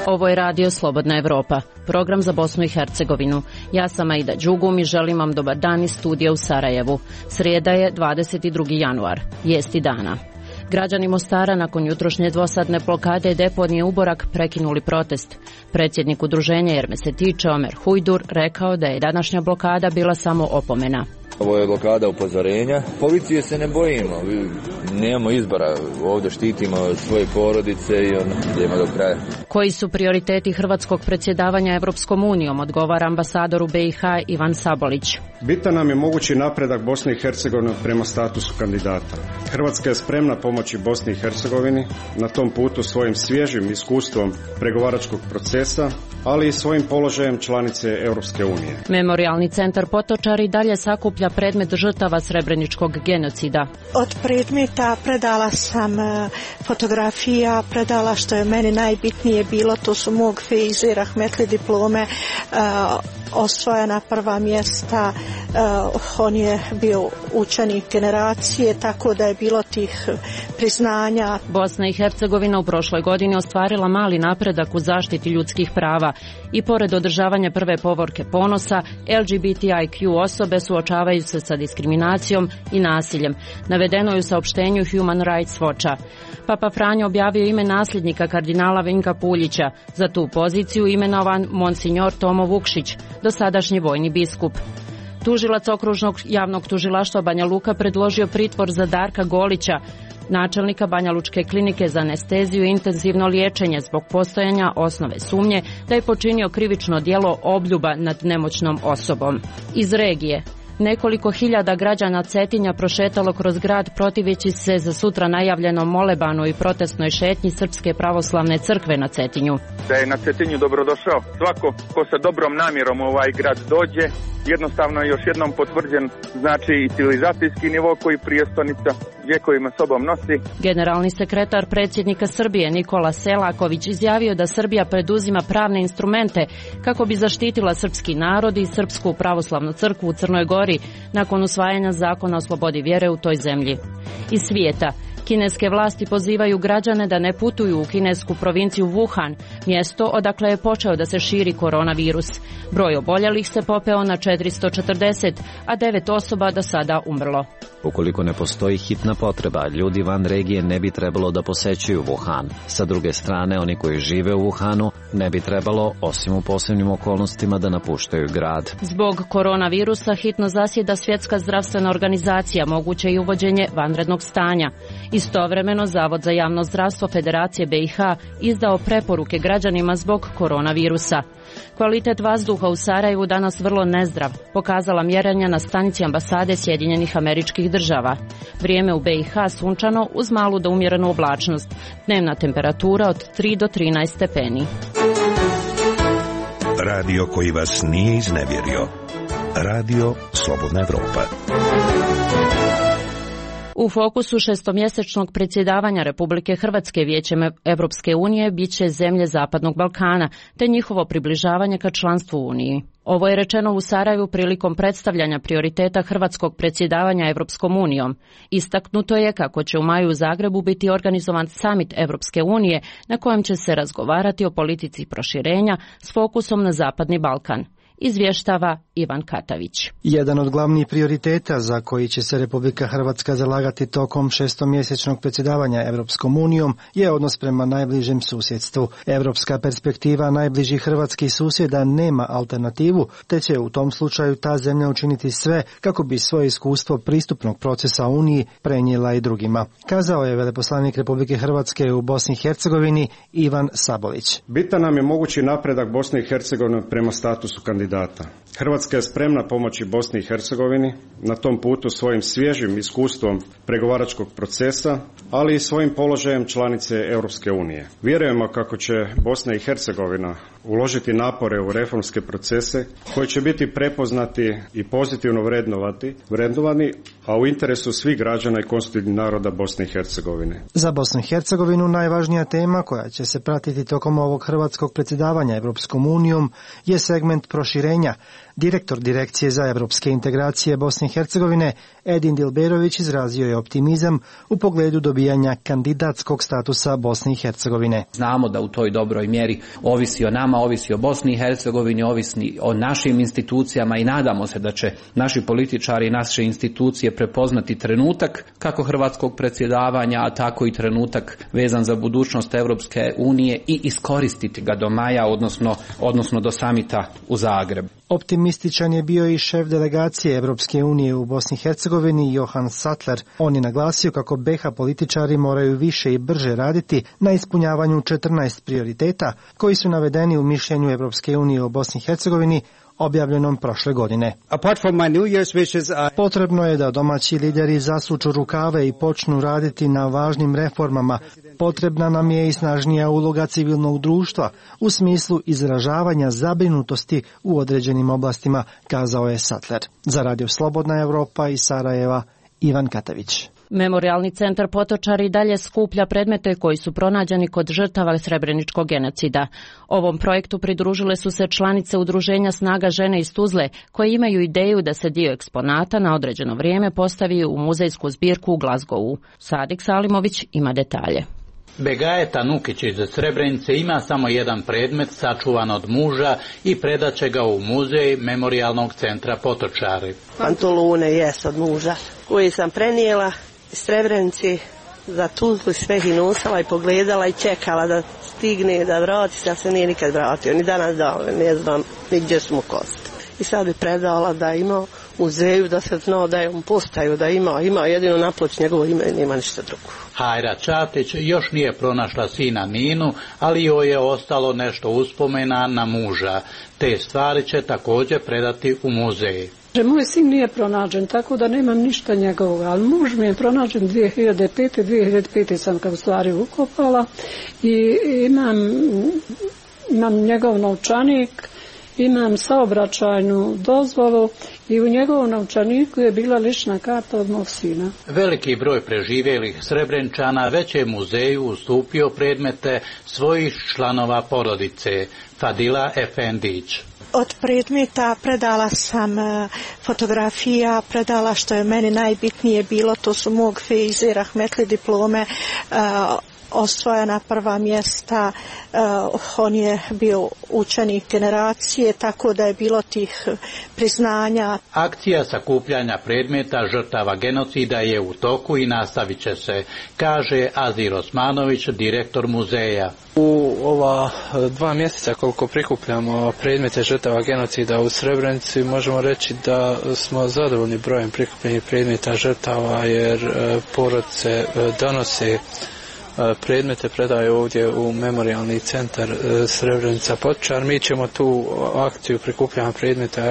Ovo je radio Slobodna Evropa, program za Bosnu i Hercegovinu. Ja sam Aida Đugum i želim vam dobar dan iz studija u Sarajevu. Srijeda je 22. januar, vijesti dana. Građani Mostara nakon jutrošnje dvosadne blokade deponije Uborak prekinuli protest. Predsjednik udruženja Jer me se tiče Omer Hujdur rekao da je današnja blokada bila samo opomena. Ovo je blokada upozorenja. Policije se ne bojimo, nemamo izbora, ovdje štitimo svoje porodice i idemo do kraja. Koji su prioriteti hrvatskog predsjedavanja Evropskom unijom, odgovara ambasador u BiH Ivan Sabolić. Bitan nam je mogući napredak Bosne i Hercegovine prema statusu kandidata. Hrvatska je spremna pomoći Bosni i Hercegovini na tom putu svojim svježim iskustvom pregovaračkog procesa, ali i svojim položajem članice Europske unije. Memorijalni centar Potočari dalje sakuplja predmet žrtava srebreničkog genocida. Od predmeta predala sam fotografija, predala što je meni najbitnije bilo, to su mog Feize Rahmetli diplome, osvojena prva mjesta, on je bio učenik generacije, tako da je bilo tih priznanja. Bosna i Hercegovina u prošloj godini ostvarila mali napredak u zaštiti ljudskih prava i pored održavanja prve povorke ponosa, LGBTIQ osobe suočavaju se sa diskriminacijom i nasiljem. Navedeno je u saopštenju Human Rights Watcha. Papa Franjo objavio ime nasljednika kardinala Vinka Puljića. Za tu poziciju imenovan Monsignor Tomo Vukšić, dosadašnji vojni biskup. Tužilac okružnog javnog tužilaštva Banja Luka predložio pritvor za Darka Golića, načelnika Banjalučke klinike za anesteziju i intenzivno liječenje zbog postojanja osnove sumnje da je počinio krivično djelo obljuba nad nemoćnom osobom. Iz regije. Nekoliko hiljada građana Cetinja prošetalo kroz grad protiveći se za sutra najavljenom molebanu i protestnoj šetnji Srpske pravoslavne crkve na Cetinju. Da je na Cetinju dobrodošao svako ko sa dobrom namjerom u ovaj grad dođe, jednostavno je još jednom potvrđen znači i civilizacijski nivo koji prijestolnica vjekovima sobom nosi. Generalni sekretar predsjednika Srbije Nikola Selaković izjavio da Srbija preduzima pravne instrumente kako bi zaštitila srpski narod i Srpsku pravoslavnu crkvu u Crnoj Gori nakon usvajanja zakona o slobodi vjere u toj zemlji. Iz svijeta. Kineske vlasti pozivaju građane da ne putuju u kinesku provinciju Wuhan, mjesto odakle je počeo da se širi koronavirus. Broj oboljelih se popeo na 440, a 9 osoba do sada umrlo. Ukoliko ne postoji hitna potreba, ljudi van regije ne bi trebalo da posećuju Wuhan. Sa druge strane, oni koji žive u Wuhanu ne bi trebalo, osim u posebnim okolnostima, da napuštaju grad. Zbog koronavirusa hitno zasjeda Svjetska zdravstvena organizacija, moguće i uvođenje vanrednog stanja. Istovremeno, Zavod za javno zdravstvo Federacije BiH izdao preporuke građanima zbog koronavirusa. Kvalitet vazduha u Sarajevu danas vrlo nezdrav, pokazala mjerenja na stanici ambasade Sjedinjenih Američkih Država. Vrijeme u BiH sunčano uz malu do umjerenu oblačnost. Dnevna temperatura od 3 do 13 stepeni. Radio koji vas nije iznevjerio. Radio Slobodna Evropa. U fokusu šestomjesečnog predsjedavanja Republike Hrvatske Vijećem Evropske unije bit će zemlje Zapadnog Balkana, te njihovo približavanje ka članstvu u Uniji. Ovo je rečeno u Sarajevu prilikom predstavljanja prioriteta hrvatskog predsjedavanja Evropskom unijom. Istaknuto je kako će u maju u Zagrebu biti organizovan samit Evropske unije na kojem će se razgovarati o politici proširenja s fokusom na Zapadni Balkan. Izvještava Ivan Katavić. Jedan od glavnih prioriteta za koji će se Republika Hrvatska zalagati tokom šestomjesečnog predsjedavanja Evropskom unijom je odnos prema najbližem susjedstvu. Evropska perspektiva najbližih hrvatskih susjeda nema alternativu, te će u tom slučaju ta zemlja učiniti sve kako bi svoje iskustvo pristupnog procesa Uniji prenijela i drugima, kazao je veleposlanik Republike Hrvatske u Bosni i Hercegovini Ivan Sabolić. Bitan nam je mogući napredak Bosne i Hercegovine prema statusu kandidata. Hrvatska je spremna pomoći Bosni i Hercegovini na tom putu svojim svježim iskustvom pregovaračkog procesa, ali i svojim položajem članice Europske unije. Vjerujemo kako će Bosna i Hercegovina uložiti napore u reformske procese koji će biti prepoznati i pozitivno vrednovani, a u interesu svih građana i konstitutivnih naroda Bosne i Hercegovine. Za Bosnu i Hercegovinu najvažnija tema koja će se pratiti tokom ovog hrvatskog predsjedavanja Evropskom unijom je segment proširenja. Direktor Direkcije za evropske integracije Bosne i Hercegovine Edin Dilberović izrazio je optimizam u pogledu dobijanja kandidatskog statusa Bosne i Hercegovine. Znamo da u toj dobroj mjeri ovisi o nama, ovisi o Bosni i Hercegovini, ovisi o našim institucijama i nadamo se da će naši političari i naše institucije prepoznati trenutak kako hrvatskog predsjedavanja, a tako i trenutak vezan za budućnost Europske unije i iskoristiti ga do maja, odnosno do samita u Zagrebu. Optimističan je bio i šef delegacije Europske unije u Bosni i Hercegovini Johan Sattler. On je naglasio kako BiH političari moraju više i brže raditi na ispunjavanju 14 prioriteta koji su navedeni u mišljenju Europske unije u Bosni i Hercegovini objavljenom prošle godine. Potrebno je da domaći lideri zasuču rukave i počnu raditi na važnim reformama. Potrebna nam je i snažnija uloga civilnog društva u smislu izražavanja zabrinutosti u određenim oblastima, kazao je Sattler. Za Radio Slobodna Europa iz Sarajeva, Ivan Katavić. Memorijalni centar Potočari i dalje skuplja predmete koji su pronađeni kod žrtava srebreničkog genocida. Ovom projektu pridružile su se članice udruženja Snaga žene iz Tuzle, koje imaju ideju da se dio eksponata na određeno vrijeme postavi u muzejsku zbirku u Glasgowu. Sadik Salimović ima detalje. Begajeta Nukić iz Srebrenice ima samo jedan predmet sačuvan od muža i predaće ga u muzej Memorijalnog centra Potočari. Pantolone jest od muža koji sam prenijela iz Srebrenici za Tuzlu, sve ih nosila i pogledala i čekala da stigne, da vrati se, a se nije nikad vratio. Ni danas dao, ne znam ni gdje smo kosti. I sad bi predala da ima muzeju, da se zna da je on postaju, da ima jedino na ploči njegovo ime i nema ništa drugo. Hajra Čatić još nije pronašla sina Ninu, ali joj je ostalo nešto uspomena na muža. Te stvari će također predati u muzej. Moj sin nije pronađen, tako da nemam ništa njegovog, ali muž mi je pronađen 2005. sam ga u stvari ukopala i imam njegov novčanik, imam saobraćajnu dozvolu i u njegovom novčaniku je bila lična karta od mog sina. Veliki broj preživjelih Srebrenčana već je muzeju ustupio predmete svojih članova porodice. Fadila Efendić. Od predmeta predala sam fotografija, predala što je meni najbitnije bilo, to su mog Feize Rahmetli diplome, osvojena prva mjesta, on je bio učenik generacije, tako da je bilo tih priznanja. Akcija sakupljanja predmeta žrtava genocida je u toku i nastavit će se, kaže Azir Osmanović, direktor muzeja. U ova 2 mjeseca koliko prikupljamo predmete žrtava genocida u Srebrenici, možemo reći da smo zadovoljni brojem prikupljenih predmeta žrtava, jer porodice donose predmete, predaju ovdje u Memorijalni centar Srebrenica Potočar. Mi ćemo tu akciju prikupljanja predmeta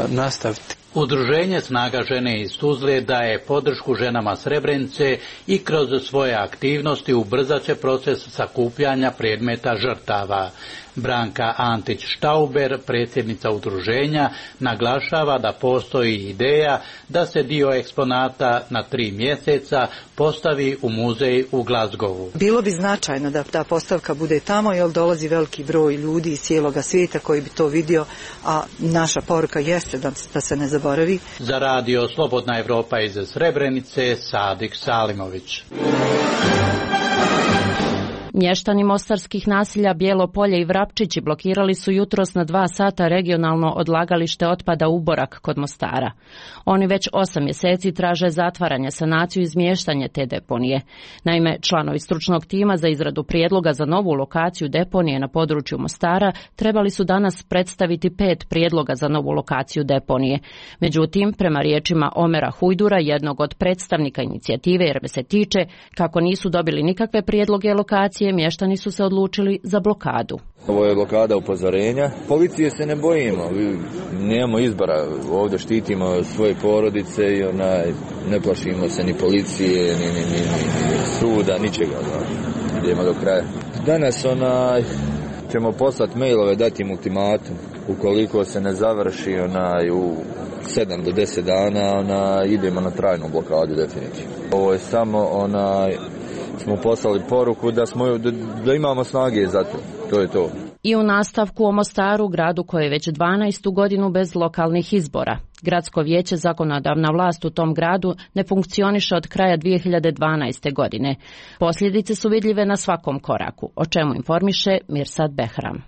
nastaviti. Udruženje Snaga žene iz Tuzle daje podršku ženama Srebrenice i kroz svoje aktivnosti ubrzat će proces sakupljanja predmeta žrtava. Branka Antić-Štauber, predsjednica udruženja, naglašava da postoji ideja da se dio eksponata na 3 mjeseca postavi u muzej u Glasgowu. Bilo bi značajno da ta postavka bude tamo, jer dolazi veliki broj ljudi iz cijeloga svijeta koji bi to vidio, a naša poruka jeste da se ne zaboravi. Za Radio Slobodna Europa iz Srebrenice, Sadik Salimović. Mještani mostarskih naselja Bijelo Polje i Vrapčići blokirali su jutros na 2 sata regionalno odlagalište otpada Uborak kod Mostara. Oni već 8 mjeseci traže zatvaranje, sanaciju i izmještanje te deponije. Naime, članovi stručnog tima za izradu prijedloga za novu lokaciju deponije na području Mostara trebali su danas predstaviti 5 prijedloga za novu lokaciju deponije. Međutim, prema riječima Omera Hujdura, jednog od predstavnika inicijative jer me se tiče, kako nisu dobili nikakve prijedloge lokacije, mještani su se odlučili za blokadu. Ovo je blokada upozorenja. Policije se ne bojimo, nemamo izbora, ovdje štitimo svoje porodice i ne plašimo se ni policije, ni suda, ničega. Idemo do kraja. Danas ćemo poslati mailove, dati im ultimatum. Ukoliko se ne završi u 7 do 10 dana, idemo na trajnu blokadu definitivno. Ovo je samo smo poslali poruku da imamo snage za to. To je to. I u nastavku o Mostaru, gradu koji je već 12. godinu bez lokalnih izbora. Gradsko vijeće, zakonodavna vlast u tom gradu, ne funkcioniše od kraja 2012. godine. Posljedice su vidljive na svakom koraku, o čemu informiše Mirsad Behram.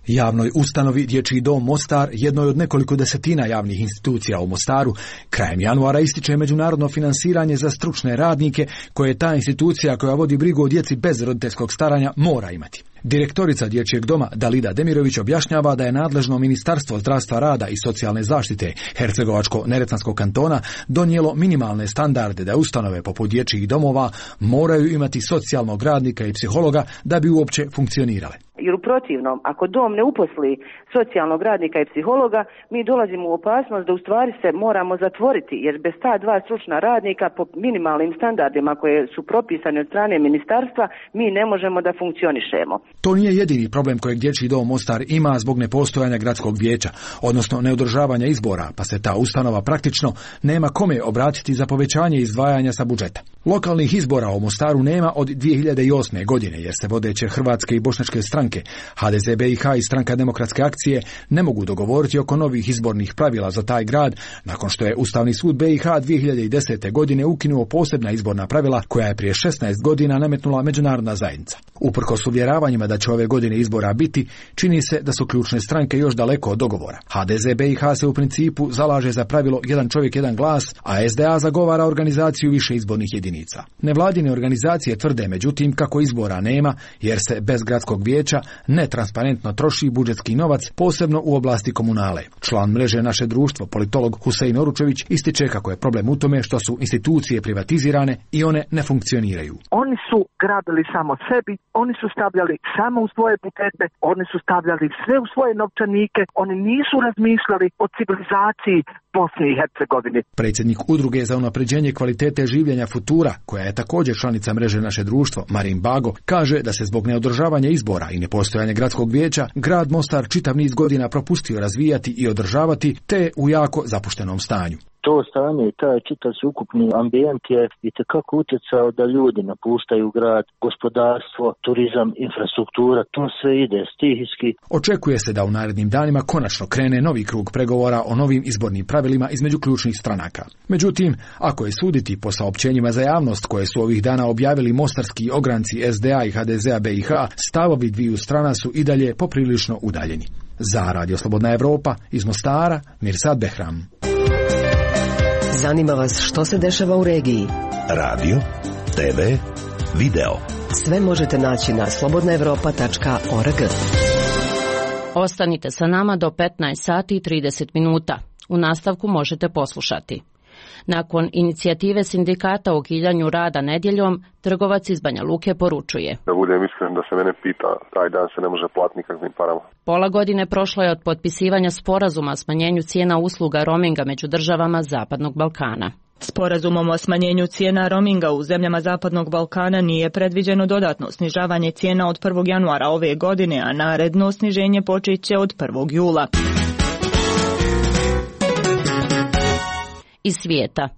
Javnoj ustanovi Dječji dom Mostar, jednoj od nekoliko desetina javnih institucija u Mostaru, krajem januara ističe međunarodno finansiranje za stručne radnike koje ta institucija koja vodi brigu o djeci bez roditeljskog staranja mora imati. Direktorica Dječjeg doma Dalida Demirović objašnjava da je nadležno Ministarstvo zdravstva, rada i socijalne zaštite Hercegovačko-neretvanskog kantona donijelo minimalne standarde da ustanove poput dječjih domova moraju imati socijalnog radnika i psihologa da bi uopće funkcionirale. Jer u protivnom, ako dom ne uposli socijalnog radnika i psihologa, mi dolazimo u opasnost da u stvari se moramo zatvoriti, jer bez ta dva stručna radnika po minimalnim standardima koje su propisane od strane ministarstva, mi ne možemo da funkcionišemo. To nije jedini problem kojeg Dječji dom Mostar ima zbog nepostojanja gradskog vijeća, odnosno neodržavanja izbora, pa se ta ustanova praktično nema kome obratiti za povećanje izdvajanja sa budžeta. Lokalnih izbora u Mostaru nema od 2008. godine, jer se vodeće hrvatske i bošnjačke stranke, HDZ BiH i Stranka demokratske akcije, ne mogu dogovoriti oko novih izbornih pravila za taj grad, nakon što je Ustavni sud BiH 2010. godine ukinuo posebna izborna pravila koja je prije 16 godina nametnula međunarodna zajednica. Uprkos uvjeravanjima da će ove godine izbora biti, čini se da su ključne stranke još daleko od dogovora. HDZ BiH se u principu zalaže za pravilo jedan čovjek, jedan glas, a SDA zagovara organizaciju više izbornih jedinica. Nevladine organizacije tvrde međutim kako izbora nema, jer se bez gradskog vijeća netransparentno troši budžetski novac, posebno u oblasti komunale. Član mreže Naše društvo, politolog Husein Oručević, ističe kako je problem u tome što su institucije privatizirane i one ne funkcioniraju. Oni su grabili samo sebi, oni su stavljali samo u svoje budžete, oni su stavljali sve u svoje novčanike, oni nisu razmišljali o civilizaciji Bosne i Hercegovine. Predsjednik udruge za unapređenje kvalitete življenja Futura, koja je također članica mreže Naše društvo, Marin Bago, kaže da se zbog neodržavanja izbora i nepostojanja gradskog vijeća grad Mostar čitav niz godina propustio razvijati i održavati, te u jako zapuštenom stanju. To stanje i taj čitav ukupni ambijent je itekako utjecao da ljudi napuštaju grad, gospodarstvo, turizam, infrastruktura, to sve ide stihijski. Očekuje se da u narednim danima konačno krene novi krug pregovora o novim izbornim pravilima između ključnih stranaka. Međutim, ako je suditi po saopćenjima za javnost koje su ovih dana objavili mostarski ogranci SDA i HDZ-a BiH, stavovi dviju strana su i dalje poprilično udaljeni. Za Radio Slobodna Evropa iz Mostara, Mirsad Behram. Zanima vas što se dešava u regiji? Radio, TV, video. Sve možete naći na slobodnaevropa.org. Ostanite sa nama do 15 sati i 30 minuta. U nastavku možete poslušati. Nakon inicijative sindikata o ukidanja rada nedjeljom, trgovac iz Banja Luke poručuje: Da budem iskren, da se mene pita, taj dan se ne može platiti nikakvim parama. Pola godine prošlo je od potpisivanja sporazuma o smanjenju cijena usluga roaminga među državama Zapadnog Balkana. Sporazumom o smanjenju cijena roaminga u zemljama Zapadnog Balkana nije predviđeno dodatno snižavanje cijena od 1. januara ove godine, a naredno sniženje počeće od 1. jula. Iz svijeta.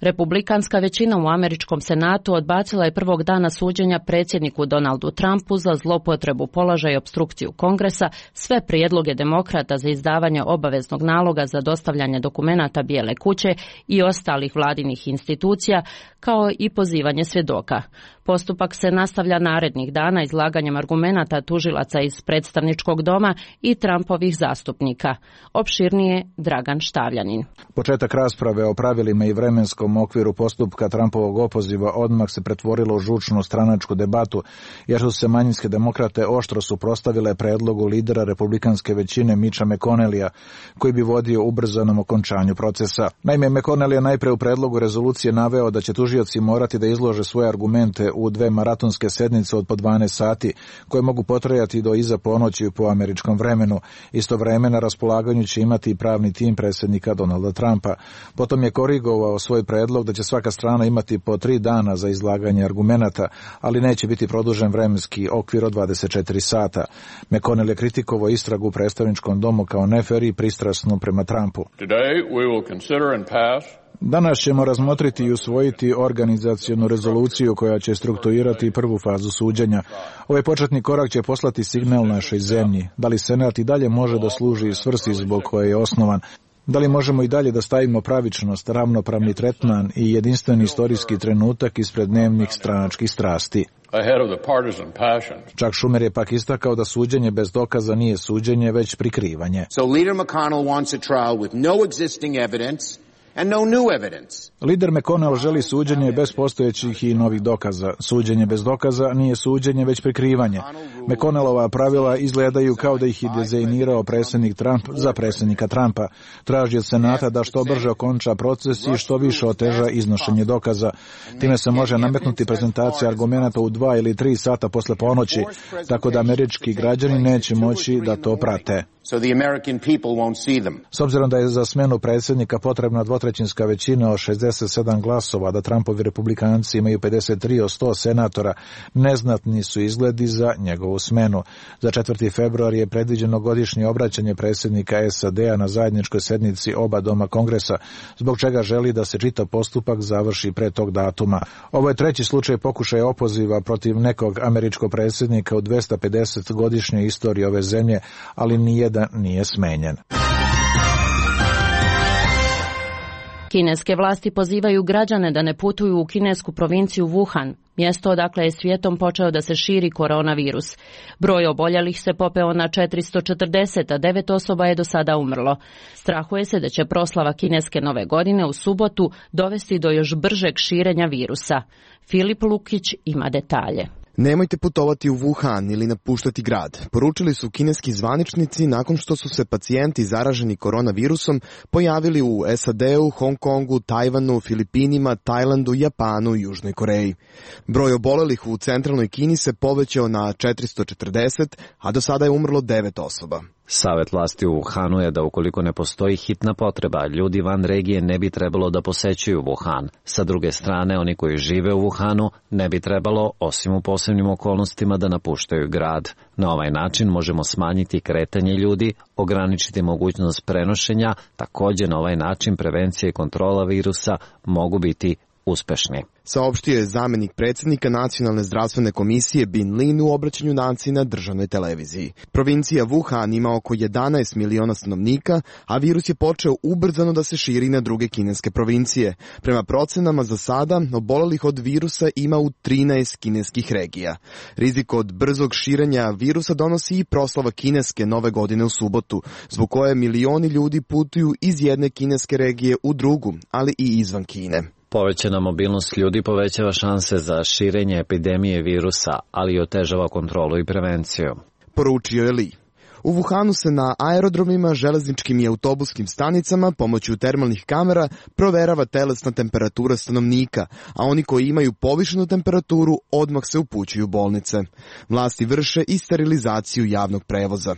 Republikanska većina u američkom senatu odbacila je prvog dana suđenja predsjedniku Donaldu Trumpu za zlopotrebu položaja i opstrukciju Kongresa sve prijedloge demokrata za izdavanje obaveznog naloga za dostavljanje dokumenata Bijele kuće i ostalih vladinih institucija, kao i pozivanje svjedoka. Postupak se nastavlja narednih dana izlaganjem argumenata tužilaca iz predstavničkog doma i Trumpovih zastupnika. Opširnije Dragan Štavljanin. Početak rasprave o pravilima i vremenskom okviru postupka Trumpovog opoziva odmah se pretvorilo u žučnu stranačku debatu, jer su se manjinske demokrate oštro suprotstavile predlogu lidera republikanske većine Mitcha McConnellija, koji bi vodio ubrzanom okončanju procesa. Naime, McConnell je najpre u predlogu rezolucije naveo da će tužioci morati da izlože svoje argumente u 2 maratonske sednice od po 12 sati, koje mogu potrajati do iza ponoći po američkom vremenu. Istovremeno na raspolaganju će imati i pravni tim predsjednika Donalda Trumpa. Potom je korigovao svoj predlog da će svaka strana imati po 3 dana za izlaganje argumenata, ali neće biti produžen vremenski okvir od 24 sata. McConnell je kritikovao istragu u predstavničkom domu kao nefer i pristrasnu prema Trumpu. Danas ćemo razmotriti i usvojiti organizacionu rezoluciju koja će strukturirati prvu fazu suđenja. Ovaj početni korak će poslati signal našoj zemlji. Da li Senat i dalje može da služi svrsi zbog koje je osnovan? Da li možemo i dalje da stavimo pravičnost, ravnopravni tretman i jedinstveni istorijski trenutak ispred dnevnih stranačkih strasti? Chuck Schumer je pak istakao da suđenje bez dokaza nije suđenje, već prikrivanje. So leader McConnell wants a trial with no existing evidence and no new evidence. Lider McConnell želi suđenje bez postojećih i novih dokaza. Suđenje bez dokaza nije suđenje, već prikrivanje. McConnellova pravila izgledaju kao da ih je dizajnirao predsjednik Trump za predsjednika Trumpa. Traži od Senata da što brže okonča proces i što više oteža iznošenje dokaza. Time se može nametnuti prezentacija argumenata u 2 ili 3 sata posle ponoći, tako da američki građani neće moći da to prate. S obzirom da je za smenu predsjednika potrebna dvotrećinska većina od 67 glasova, da Trumpovi republikanci imaju 53 od 100 senatora, neznatni su izgledi za njegovu smenu. Za 4. februar je predviđeno godišnje obraćanje predsjednika SAD-a na zajedničkoj sednici oba doma Kongresa, zbog čega želi da se čitav postupak završi pre tog datuma. Ovo je treći slučaj pokušaja opoziva protiv nekog američkog predsjednika u 250-godišnjoj istoriji ove zemlje, ali nijedan nije smenjen. Kineske vlasti pozivaju građane da ne putuju u kinesku provinciju Wuhan, mjesto odakle je svijetom počeo da se širi koronavirus. Broj oboljelih se popeo na 440, a 9 osoba je do sada umrlo. Strahuje se da će proslava kineske nove godine u subotu dovesti do još bržeg širenja virusa. Filip Lukić ima detalje. Nemojte putovati u Wuhan ili napuštati grad, poručili su kineski zvaničnici nakon što su se pacijenti zaraženi koronavirusom pojavili u SAD-u, Hong Kongu, Tajvanu, Filipinima, Tajlandu, Japanu i Južnoj Koreji. Broj obolelih u centralnoj Kini se povećao na 440, a do sada je umrlo 9 osoba. Savet vlasti u Wuhanu je da ukoliko ne postoji hitna potreba, ljudi van regije ne bi trebalo da posećuju Wuhan. Sa druge strane, oni koji žive u Wuhanu ne bi trebalo, osim u posebnim okolnostima, da napuštaju grad. Na ovaj način možemo smanjiti kretanje ljudi, ograničiti mogućnost prenošenja, također na ovaj način prevencija i kontrola virusa mogu biti uspešni. Saopštio je zamjenik predsjednika Nacionalne zdravstvene komisije Bin Lin u obraćanju naciji na državnoj televiziji. Provincija Wuhan ima oko 11 miliona stanovnika, a virus je počeo ubrzano da se širi na druge kineske provincije. Prema procenama za sada, obolelih od virusa ima u 13 kineskih regija. Rizik od brzog širenja virusa donosi i proslava kineske nove godine u subotu, zbog koje milioni ljudi putuju iz jedne kineske regije u drugu, ali i izvan Kine. Povećana mobilnost ljudi povećava šanse za širenje epidemije virusa, ali i otežava kontrolu i prevenciju. Poručio je Li. U Wuhanu se na aerodromima, železničkim i autobuskim stanicama pomoću termalnih kamera proverava telesna temperatura stanovnika, a oni koji imaju povišenu temperaturu odmah se upućuju u bolnice. Vlasti vrše i sterilizaciju javnog prevoza.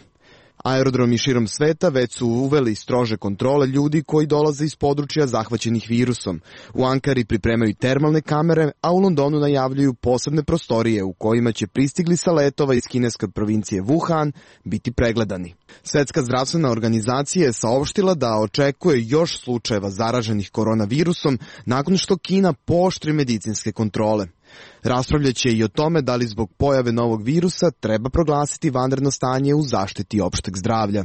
Aerodromi širom sveta već su uveli strože kontrole ljudi koji dolaze iz područja zahvaćenih virusom. U Ankari pripremaju termalne kamere, a u Londonu najavljuju posebne prostorije u kojima će pristigli sa letova iz kineske provincije Wuhan biti pregledani. Svetska zdravstvena organizacija je saopštila da očekuje još slučajeva zaraženih koronavirusom nakon što Kina pooštri medicinske kontrole. Raspravljaće i o tome da li zbog pojave novog virusa treba proglasiti vanredno stanje u zaštiti opšteg zdravlja.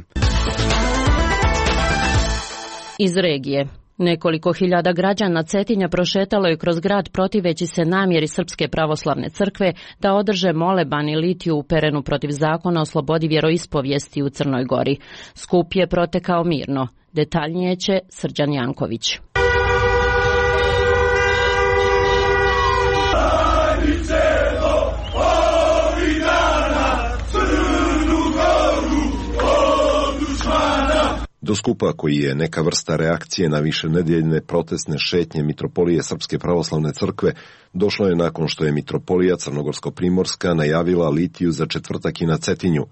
Iz regije. Nekoliko hiljada građana Cetinja prošetalo je kroz grad protiveći se namjeri Srpske pravoslavne crkve da održe moleban i litiju uperenu protiv zakona o slobodi vjeroispovijesti u Crnoj Gori. Skup je protekao mirno. Detaljnije će Srđan Janković. Do skupa, koji je neka vrsta reakcije na višenedeljne protestne šetnje Mitropolije Srpske pravoslavne crkve, došlo je nakon što je Mitropolija Crnogorsko-Primorska najavila litiju za četvrtak i na Cetinju.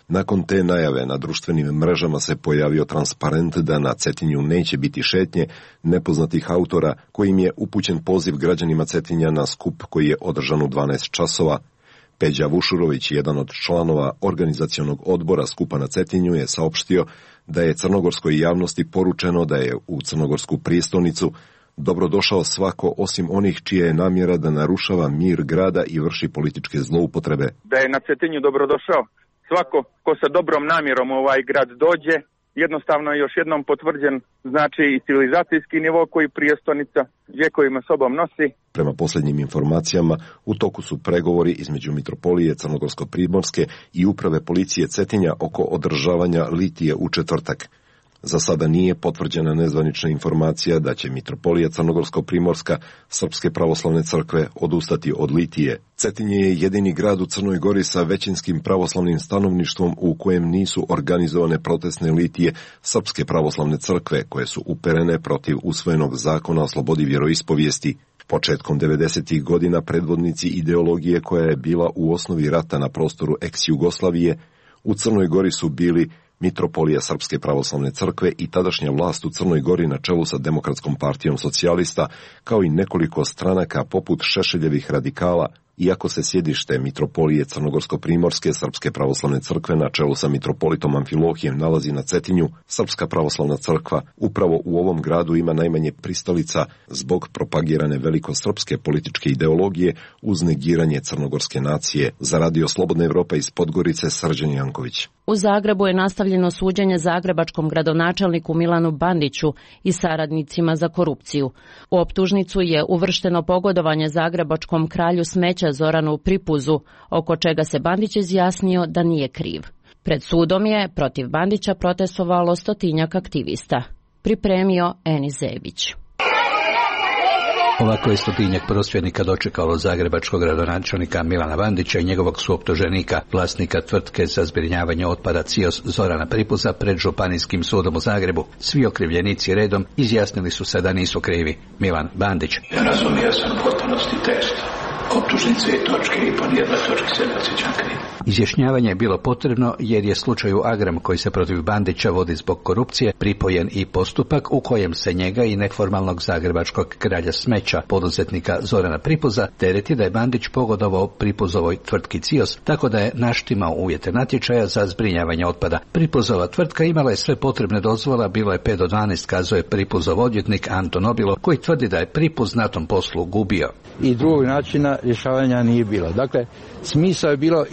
Nakon te najave na društvenim mrežama se pojavio transparent da na Cetinju neće biti šetnje nepoznatih autora, kojim je upućen poziv građanima Cetinja na skup koji je održan u 12 časova. Peđa Vušurović, jedan od članova organizacionog odbora skupa na Cetinju, je saopštio da je crnogorskoj javnosti poručeno da je u crnogorsku prijestolnicu dobrodošao svako osim onih čija je namjera da narušava mir grada i vrši političke zloupotrebe. Da je na Cetinju dobrodošao svako ko sa dobrom namjerom u ovaj grad dođe, jednostavno je još jednom potvrđen znači i civilizacijski nivo koji prijestolnica vjekovima sobom nosi. Prema posljednjim informacijama, u toku su pregovori između Mitropolije Crnogorsko-Primorske i uprave policije Cetinja oko održavanja litije u četvrtak. Za sada nije potvrđena nezvanična informacija da će Mitropolija Crnogorsko-Primorska Srpske pravoslavne crkve odustati od litije. Cetinje je jedini grad u Crnoj Gori sa većinskim pravoslavnim stanovništvom u kojem nisu organizovane protestne litije Srpske pravoslavne crkve koje su uperene protiv usvojenog zakona o slobodi vjeroispovijesti. Početkom 90. godina predvodnici ideologije koja je bila u osnovi rata na prostoru ex-Jugoslavije u Crnoj Gori su bili Mitropolija Srpske pravoslavne crkve i tadašnja vlast u Crnoj Gori na čelu sa Demokratskom partijom socijalista, kao i nekoliko stranaka poput Šešeljevih radikala, iako se sjedište Mitropolije Crnogorsko-Primorske Srpske pravoslavne crkve na čelu sa mitropolitom Amfilohijem nalazi na Cetinju, Srpska pravoslavna crkva upravo u ovom gradu ima najmanje pristalica zbog propagirane velikosrpske političke ideologije uz negiranje crnogorske nacije. Za Radio Slobodna Evropa iz Podgorice, Srđan Janković. U Zagrebu je nastavljeno suđenje zagrebačkom gradonačelniku Milanu Bandiću i saradnicima za korupciju. U optužnicu je uvršteno pogodovanje zagrebačkom kralju smeća Zoranu Pripuzu, oko čega se Bandić izjasnio da nije kriv. Pred sudom je protiv Bandića protestovalo 100-tinjak aktivista. Pripremio Eni Zebić. Ovako je 100-tinjak prosvjednika dočekalo zagrebačkog gradonačelnika Milana Bandića i njegovog suoptuženika, vlasnika tvrtke za zbrinjavanje otpada CIOS Zorana Pripuza pred Županijskim sudom u Zagrebu. Svi okrivljenici redom izjasnili su se da nisu krivi. Milan Bandić. Ja razumio sam u potpunosti tekst. Optužnice i točke i po nijednoj točki se ne osjećam kriv. Izjašnjavanje je bilo potrebno jer je slučaju Agram koji se protiv Bandića vodi zbog korupcije pripojen i postupak u kojem se njega i neformalnog zagrebačkog kralja smeća poduzetnika Zorana Pripuza tereti da je Bandić pogodovao Pripuzovoj tvrtki CIOS tako da je naštimao uvjete natječaja za zbrinjavanje otpada. Pripuzova tvrtka imala je sve potrebne dozvola, bilo je 5 do 12, kazuje Pripuzov odvjetnik Anton Obilo koji tvrdi da je Pripuz na tom poslu gubio. I drugog načina rješavanja nije bilo. Dakle, smisao je bilo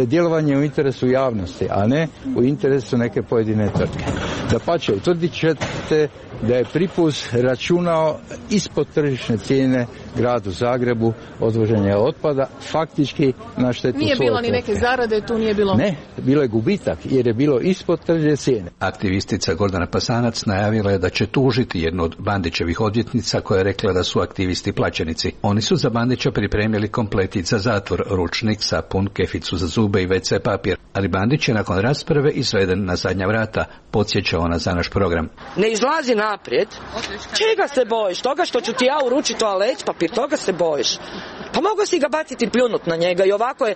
djelovanje u interesu javnosti, a ne u interesu neke pojedine tvrtke. Dapače, utvrdit ćete da je Pripuz računao ispod tržišne cijene gradu Zagrebu odvoženje otpada, faktički na štetu nije bilo ni neke zarade, tu nije bilo... Ne, bilo je gubitak jer je bilo ispod tržišne cijene. Aktivistica Gordana Pasanac najavila je da će tužiti jednu od Bandićevih odvjetnica koja je rekla da su aktivisti plaćenici. Oni su za Bandića pripremili kompletit za zatvor, ručnik, sapun, keficu za zube i WC papir, ali Bandić je nakon rasprave izveden na zadnja vrata, podsjeća ona za naš program. Ne izlazi naprijed. Čega se bojiš? Toga što ću ti ja uručiti toalet papir, toga se bojiš. Pa mogu si ga baciti i pljunut na njega i ovako je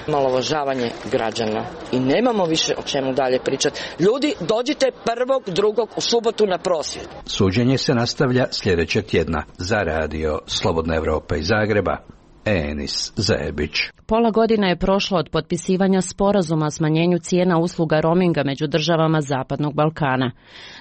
omalovažavanje građana. I nemamo više o čemu dalje pričati. Ljudi, dođite 1.2. u subotu na prosvjed. Suđenje se nastavlja sljedećeg tjedna. Za Radio Slobodna Evropa iz Zagreba, Enis Zebić. Pola godine je prošlo od potpisivanja sporazuma o smanjenju cijena usluga roaminga među državama Zapadnog Balkana.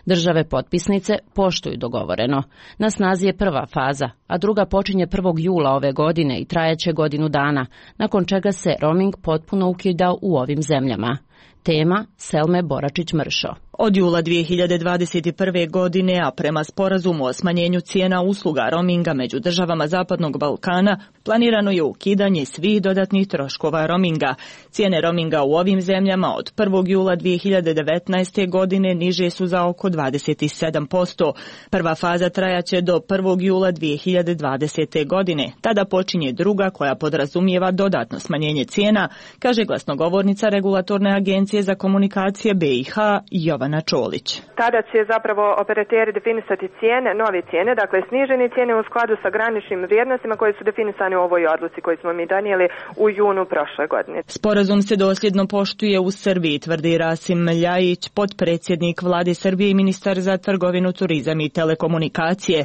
Države potpisnice poštuju dogovoreno. Na snazi je prva faza, a druga počinje 1. jula ove godine i trajaće godinu dana, nakon čega se roaming potpuno ukida u ovim zemljama. Tema Selme Boračić-Mršo. Od jula 2021. godine, a prema sporazumu o smanjenju cijena usluga roaminga među državama Zapadnog Balkana, planirano je ukidanje svih dodatnih troškova roaminga. Cijene roaminga u ovim zemljama od 1. jula 2019. godine niže su za oko 27%. Prva faza trajaće do 1. jula 2020. godine. Tada počinje druga koja podrazumijeva dodatno smanjenje cijena, kaže glasnogovornica Regulatorne agencije za komunikacije BiH Jovana Čolić. Tada će zapravo operateri definisati cijene, nove cijene, dakle snižene cijene u skladu sa graničnim vrijednostima koje su definisane u ovoj odluci koju smo mi donijeli u junu prošle godine. Sporazum se dosljedno poštuje u Srbiji, tvrdi Rasim Ljajić, potpredsjednik vlade Srbije i ministar za trgovinu, turizam i telekomunikacije.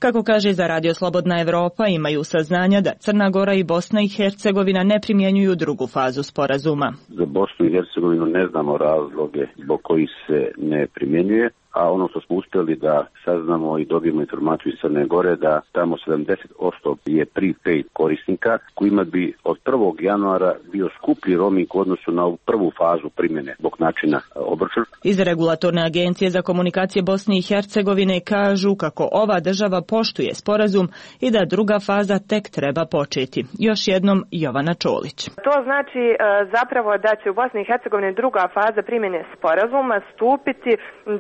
Kako kaže za Radio Slobodna Evropa, imaju saznanja da Crna Gora i Bosna i Hercegovina ne primjenjuju drugu fazu sporazuma. Za Bosnu i Hercegovinu ne znamo razloge zbog kojih se ne primjenjuje, a ono što smo uspjeli da saznamo i dobijemo informaciju iz Crne Gore da tamo 70% je prepaid korisnika kojima bi od 1. januara bio skuplji roaming u odnosu na prvu fazu primjene zbog načina obračuna. Iz Regulatorne agencije za komunikacije Bosne i Hercegovine kažu kako ova država poštuje sporazum i da druga faza tek treba početi. Još jednom Jovana Čolić. To znači zapravo da će u Bosni i Hercegovini druga faza primjene sporazuma stupiti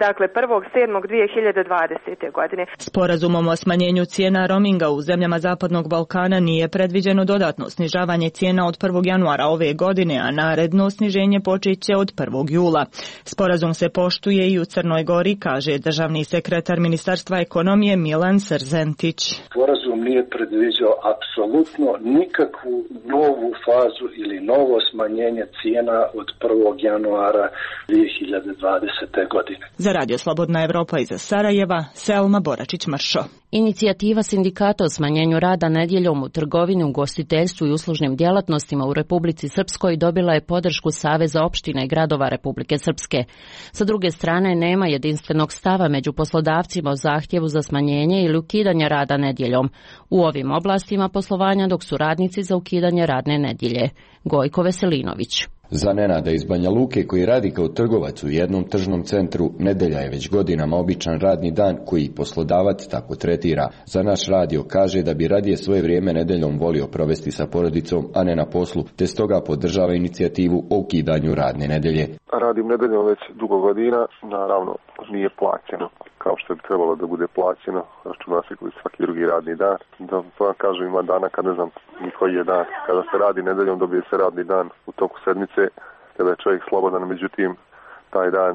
dakle 1.7.2020. godine. Sporazumom o smanjenju cijena roaminga u zemljama Zapadnog Balkana nije predviđeno dodatno snižavanje cijena od 1. januara ove godine, a naredno sniženje počeće od 1. jula. Sporazum se poštuje i u Crnoj Gori, kaže državni sekretar Ministarstva ekonomije Milan Srzentić. Sporazum nije predviđao apsolutno nikakvu novu fazu ili novo smanjenje cijena od 1. januara 2020. godine. Za Radio Slobodna Evropa iz Sarajeva, Selma Boračić-Mršo. Inicijativa sindikata o smanjenju rada nedjeljom u trgovini, ugostiteljstvu i uslužnim djelatnostima u Republici Srpskoj dobila je podršku Saveza opština i gradova Republike Srpske. Sa druge strane, nema jedinstvenog stava među poslodavcima o zahtjevu za smanjenje ili ukidanje rada nedjeljom u ovim oblastima poslovanja, dok su radnici za ukidanje radne nedjelje. Gojko Veselinović. Za Nenada iz Banja Luke, koji radi kao trgovac u jednom tržnom centru, nedjelja je već godinama običan radni dan koji poslodavac tako tretira. Za naš radio kaže da bi radije svoje vrijeme nedjeljom volio provesti sa porodicom, a ne na poslu, te stoga podržava inicijativu o ukidanju radne nedjelje. Radim nedjeljom već dugo godina, naravno nije plaćeno kao što bi trebalo da bude plaćeno, računa se koji svaki drugi radni dan. Da vam kažem, ima dana kad ne znam ni koji je dan. Kada se radi nedeljom, dobije se radni dan u toku sedmice, kada je čovjek slobodan, međutim taj dan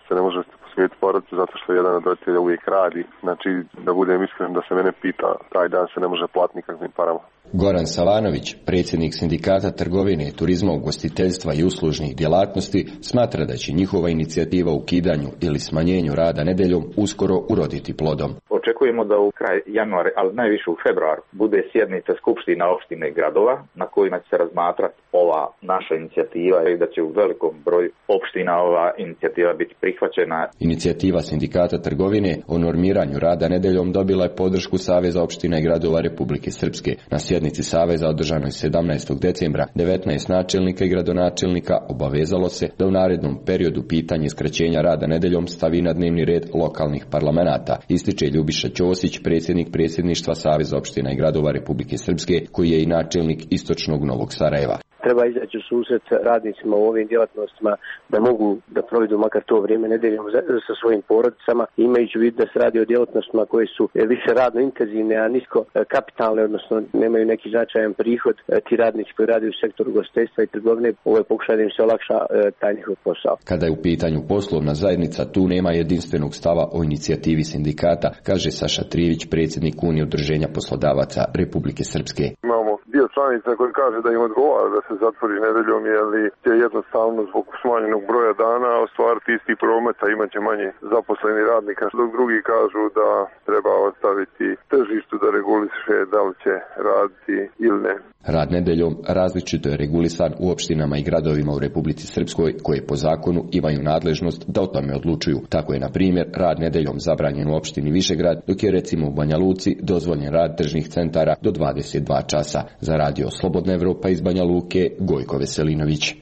se ne može posvetiti porodici zato što jedan od roditelja uvijek radi. Znači, da budem iskren, da se mene pita, taj dan se ne može platiti nikakvim parama. Goran Savanović, predsjednik sindikata trgovine, turizma, ugostiteljstva i uslužnih djelatnosti, smatra da će njihova inicijativa o ukidanju ili smanjenju rada nedjeljom uskoro uroditi plodom. Očekujemo da u kraj januara, ali najviše u februaru, bude sjednica skupština opštine i gradova na kojima će se razmatrati ova naša inicijativa i da će u velikom broju opština ova inicijativa biti prihvaćena. Inicijativa sindikata trgovine o normiranju rada nedjeljom dobila je podršku Saveza opština i gradova Republike Srpske. Na sjednici Saveza održanoj 17. decembra 19 načelnika i gradonačelnika obavezalo se da u narednom periodu pitanje skraćenja rada nedjeljom stavi na dnevni red lokalnih parlamenata, ističe Ljubiša Ćosić, predsjednik predsjedništva Saveza opština i gradova Republike Srpske, koji je i načelnik istočnog Novog Sarajeva. Treba izaći u susret radnicima u ovim djelatnostima da mogu da provedu makar to vrijeme nedjeljom sa svojim porodicama, imajući u vidu da se radi o djelatnostima koje su više radno intenzivne, a nisko kapitalne, odnosno nemaju neki značajan prihod. Ti radnici koji rade u sektoru ugostiteljstva i trgovine, ovo je pokušaj da im se olakša taj njihov posao. Kada je u pitanju poslovna zajednica, tu nema jedinstvenog stava o inicijativi sindikata, kaže Saša Trivić, predsjednik Unije udruženja poslodavaca Republike Srpske. Imamo dio članica koji kaže da im odgovara da se zatvori nedeljom, jer će jednostavno zbog smanjenog broja dana ostvariti isti promet, a imaće manje zaposleni radnika, dok drugi kažu da treba ostaviti tržištu da reguliše da li će raditi ili ne. Rad nedeljom različito je regulisan u opštinama i gradovima u Republici Srpskoj, koje po zakonu imaju nadležnost da o tome odlučuju. Tako je, na primjer, rad nedeljom zabranjen u opštini Višegrad, dok je recimo u Banja Luci dozvoljen rad tržnih centara do 22 časa. Za Radio Slobodna Evropa iz Banja Luke, Gojko Veselinović.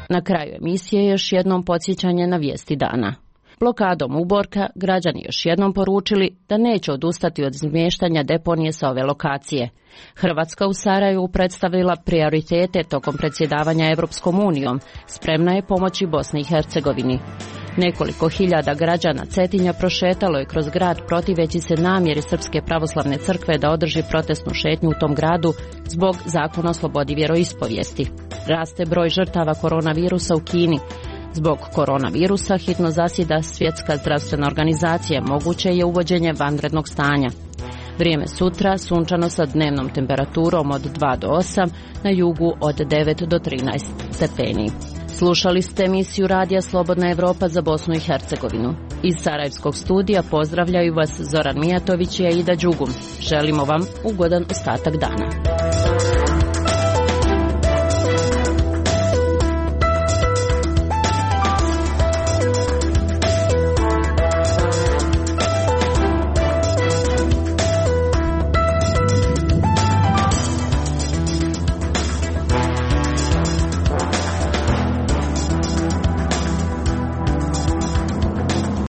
Na kraju emisije još jednom podsjećanje na vijesti dana. Blokadom Uborka građani još jednom poručili da neće odustati od izmještanja deponije sa ove lokacije. Hrvatska u Sarajevu predstavila prioritete tokom predsjedavanja Evropskom unijom, spremna je pomoći Bosni i Hercegovini. Nekoliko hiljada građana Cetinja prošetalo je kroz grad protiveći se namjeri Srpske pravoslavne crkve da održi protestnu šetnju u tom gradu zbog zakona o slobodi vjeroispovijesti. Raste broj žrtava koronavirusa u Kini. Zbog koronavirusa hitno zasjeda Svjetska zdravstvena organizacija, moguće je uvođenje vanrednog stanja. Vrijeme sutra sunčano sa dnevnom temperaturom od 2 do 8, na jugu od 9 do 13 stepeni. Slušali ste emisiju Radija Slobodna Evropa za Bosnu i Hercegovinu. Iz Sarajevskog studija pozdravljaju vas Zoran Mijatović i Aida Đugum. Želimo vam ugodan ostatak dana.